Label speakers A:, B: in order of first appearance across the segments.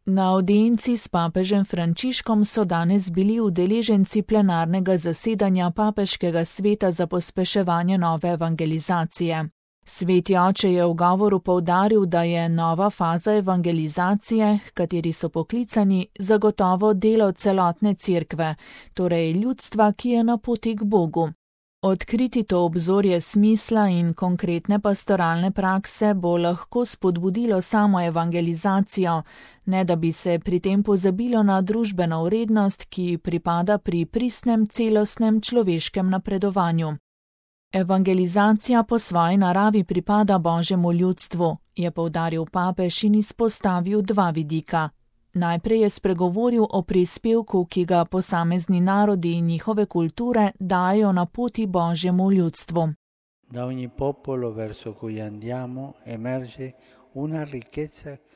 A: Na audienci s papežem Frančiškom so danes bili udeleženci plenarnega zasedanja Papeškega sveta za pospeševanje nove evangelizacije. Sveti oče je v govoru poudaril, da je nova faza evangelizacije, h kateri so poklicani, zagotovo delo celotne cerkve, torej ljudstva, ki je na poti k Bogu. Odkriti to obzorje smisla in konkretne pastoralne prakse bo lahko spodbudilo samo evangelizacijo, ne da bi se pri tem pozabilo na družbeno vrednost, ki pripada pri pristnem celostnem človeškem napredovanju. Evangelizacija po svoji naravi pripada Božjemu ljudstvu, je poudaril papež in izpostavil dva vidika. Najprej je spregovoril o prispevku, ki ga posamezni narodi in njihove kulture dajo na poti Božjemu ljudstvu.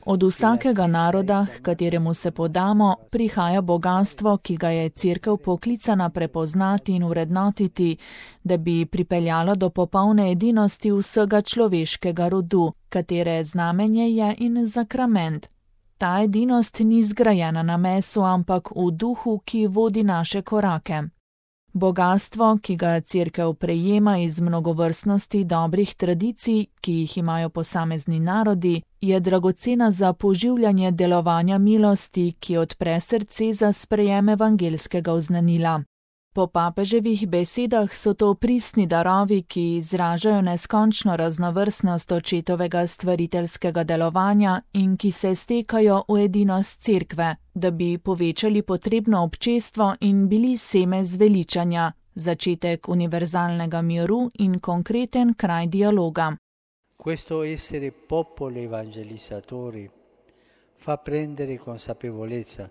A: Od vsakega naroda, h kateremu se podamo, prihaja bogastvo, ki ga je cerkev poklicana prepoznati in vrednotiti, da bi pripeljalo do popolne edinosti vsega človeškega rodu, katere znamenje je in zakrament. Ta edinost ni zgrajena na mesu, ampak v duhu, ki vodi naše korake. Bogastvo, ki ga cerkev prejema iz mnogovrstnosti dobrih tradicij, ki jih imajo posamezni narodi, je dragocena za poživljanje delovanja milosti, ki odpre srce za sprejem evangelskega oznanila. Po papeževih besedah so to pristni darovi, ki izražajo neskončno raznovrstnost očetovega stvariteljskega delovanja in ki se stekajo v edinost cerkve, da bi povečali potrebno občestvo in bili seme zveličanja, začetek univerzalnega miru in konkreten kraj dialoga.
B: Questo essere popolo evangelizzatori fa prendere consapevolezza.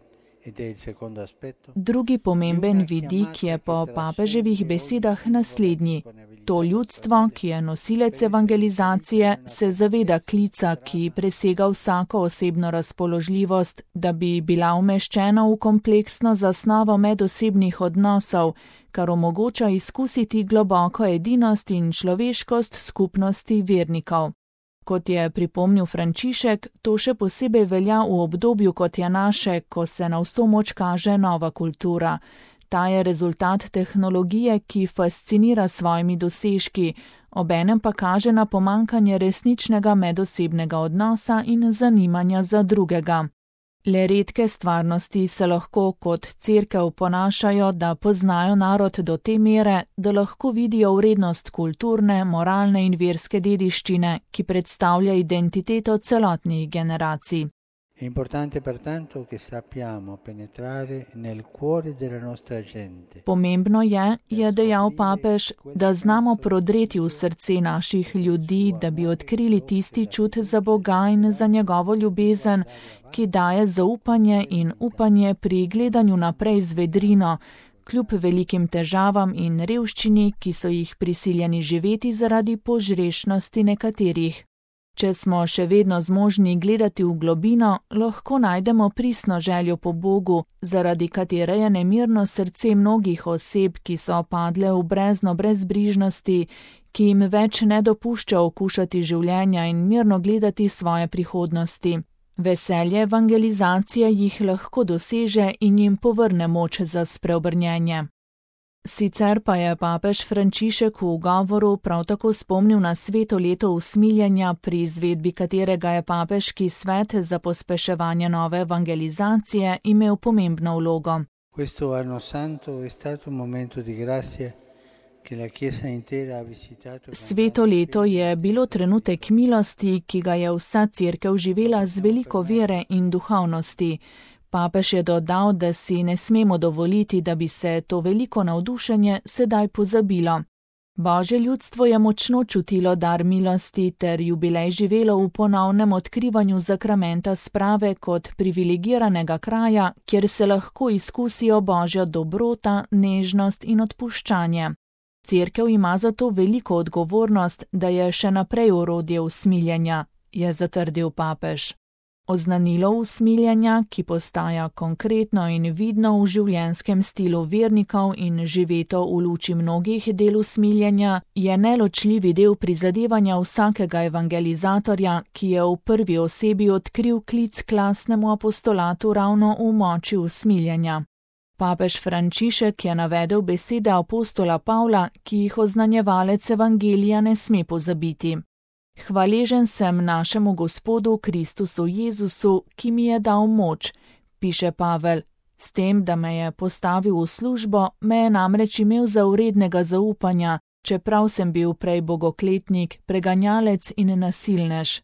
A: Drugi pomemben vidik je po papeževih besedah naslednji. To ljudstvo, ki je nosilec evangelizacije, se zaveda klica, ki presega vsako osebno razpoložljivost, da bi bila umeščena v kompleksno zasnovo medosebnih odnosov, kar omogoča izkusiti globoko edinost in človeškost skupnosti vernikov. Kot je pripomnil Frančišek, to še posebej velja v obdobju, kot je naše, ko se na vso moč kaže nova kultura. Ta je rezultat tehnologije, ki fascinira s svojimi dosežki, obenem pa kaže na pomanjkanje resničnega medosebnega odnosa in zanimanja za drugega. Le redke stvarnosti se lahko kot cerkev ponašajo, da poznajo narod do te mere, da lahko vidijo vrednost kulturne, moralne in verske dediščine, ki predstavlja identiteto celotnih generacij. Pomembno je dejal papež, da znamo prodreti v srce naših ljudi, da bi odkrili tisti čut za Boga in za njegovo ljubezen, ki daje zaupanje in upanje pri gledanju naprej z vedrino, kljub velikim težavam in revščini, ki so jih prisiljeni živeti zaradi požrešnosti nekaterih. Če smo še vedno zmožni gledati v globino, lahko najdemo pristno željo po Bogu, zaradi katere je nemirno srce mnogih oseb, ki so padle v brezno brezbrižnosti, ki jim več ne dopušča okušati življenja in mirno gledati svoje prihodnosti. Veselje evangelizacije jih lahko doseže in jim povrne moč za spreobrnjenje. Sicer pa je papež Frančišek v govoru prav tako spomnil na sveto leto usmiljenja, pri izvedbi katerega je papeški svet za pospeševanje nove evangelizacije imel pomembno vlogo. Sveto leto je bilo trenutek milosti, ki ga je vsa cerkev živela z veliko vere in duhovnosti. Papež je dodal, da si ne smemo dovoliti, da bi se to veliko navdušenje sedaj pozabilo. Božje ljudstvo je močno čutilo dar milosti ter jubilej živelo v ponovnem odkrivanju zakramenta sprave kot privilegiranega kraja, kjer se lahko izkusijo Božja dobrota, nežnost in odpuščanje. Cerkev ima zato veliko odgovornost, da je še naprej orodje usmiljenja, je zatrdil papež. Oznanilo usmiljenja, ki postaja konkretno in vidno v življenjskem stilu vernikov in živeto v luči mnogih del usmiljenja, je neločljivi del prizadevanja vsakega evangelizatorja, ki je v prvi osebi odkril klic k lastnemu apostolatu ravno v moči usmiljenja. Papež Frančišek je navedel besede apostola Pavla, ki jih oznanjevalec evangelija ne sme pozabiti. Hvaležen sem našemu Gospodu Kristusu Jezusu, ki mi je dal moč, piše Pavel. S tem, da me je postavil v službo, me je namreč imel za vrednega zaupanja, čeprav sem bil prej bogokletnik, preganjalec in nasilnež.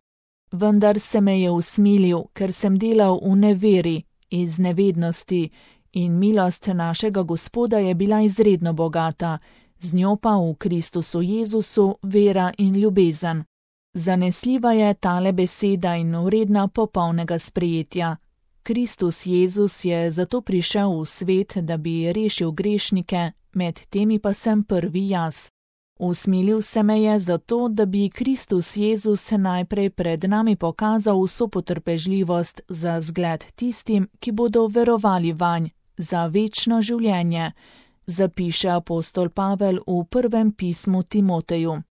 A: Vendar se me je usmilil, ker sem delal v neveri, iz nevednosti, in milost našega Gospoda je bila izredno bogata, z njo pa v Kristusu Jezusu vera in ljubezen. Zanesljiva je tale beseda in vredna popolnega sprejetja. Kristus Jezus je zato prišel v svet, da bi rešil grešnike, med temi pa sem prvi jaz. Usmilil se me je zato, da bi Kristus Jezus najprej pred nami pokazal vso potrpežljivost za zgled tistim, ki bodo verovali vanj, za večno življenje, zapiše apostol Pavel v prvem pismu Timoteju.